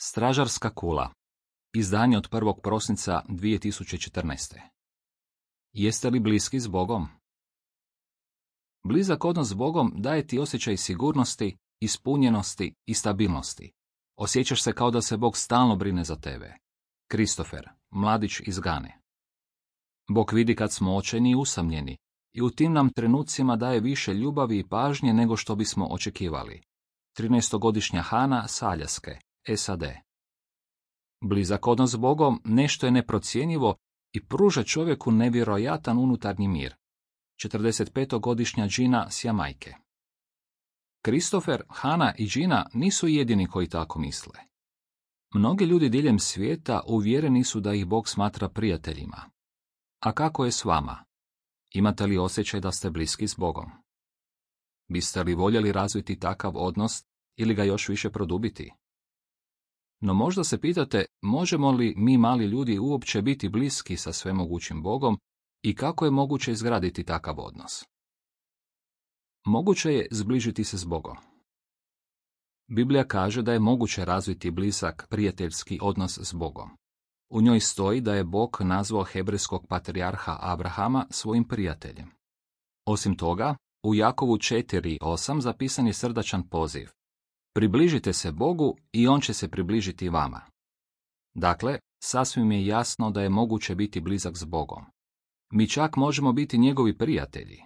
Stražarska kula. Izdanje od 1. prosinca 2014. Jeste li bliski s Bogom? Blizak odnos s Bogom daje ti osjećaj sigurnosti, ispunjenosti i stabilnosti. Osjećaš se kao da se Bog stalno brine za tebe. Kristofer, mladić iz Gane. Bog vidi kad smo očajni i usamljeni i u tim nam trenucima daje više ljubavi i pažnje nego što bismo očekivali. 13-godišnja Hana s Aljaske, SAD. Blizak odnos s Bogom nešto je neprocjenjivo i pruža čovjeku nevjerojatan unutarnji mir. 45-godišnja Gina s Jamajke. Kristofer, Hana i Gina nisu jedini koji tako misle. Mnogi ljudi diljem svijeta uvjereni su da ih Bog smatra prijateljima. A kako je s vama? Imate li osjećaj da ste bliski s Bogom? Biste li voljeli razviti takav odnos ili ga još više produbiti? No možda se pitate, možemo li mi mali ljudi uopće biti bliski sa svemogućim Bogom i kako je moguće izgraditi takav odnos? Moguće je zbližiti se s Bogom. Biblija kaže da je moguće razviti blizak prijateljski odnos s Bogom. U njoj stoji da je Bog nazvao hebrejskog patrijarha Abrahama svojim prijateljem. Osim toga, u Jakovu 4:8 zapisan je srdačan poziv. Približite se Bogu i on će se približiti vama. Dakle, sasvim je jasno da je moguće biti blizak s Bogom. Mi čak možemo biti njegovi prijatelji.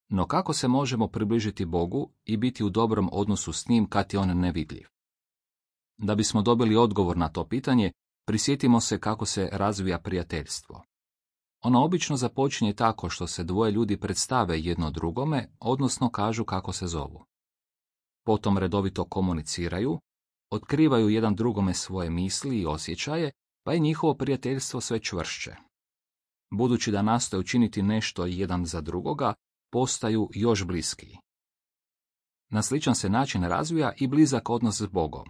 No kako se možemo približiti Bogu i biti u dobrom odnosu s njim kad je on nevidljiv? Da bismo dobili odgovor na to pitanje, prisjetimo se kako se razvija prijateljstvo. Ono obično započinje tako što se dvoje ljudi predstave jedno drugome, odnosno kažu kako se zovu. Potom redovito komuniciraju, otkrivaju jedan drugome svoje misli i osjećaje, pa je njihovo prijateljstvo sve čvršće. Budući da nastoje učiniti nešto jedan za drugoga, postaju još bliskiji. Na sličan se način razvija i blizak odnos s Bogom.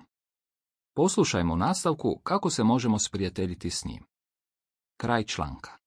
Poslušajmo u nastavku kako se možemo sprijateljiti s njim. Kraj članka.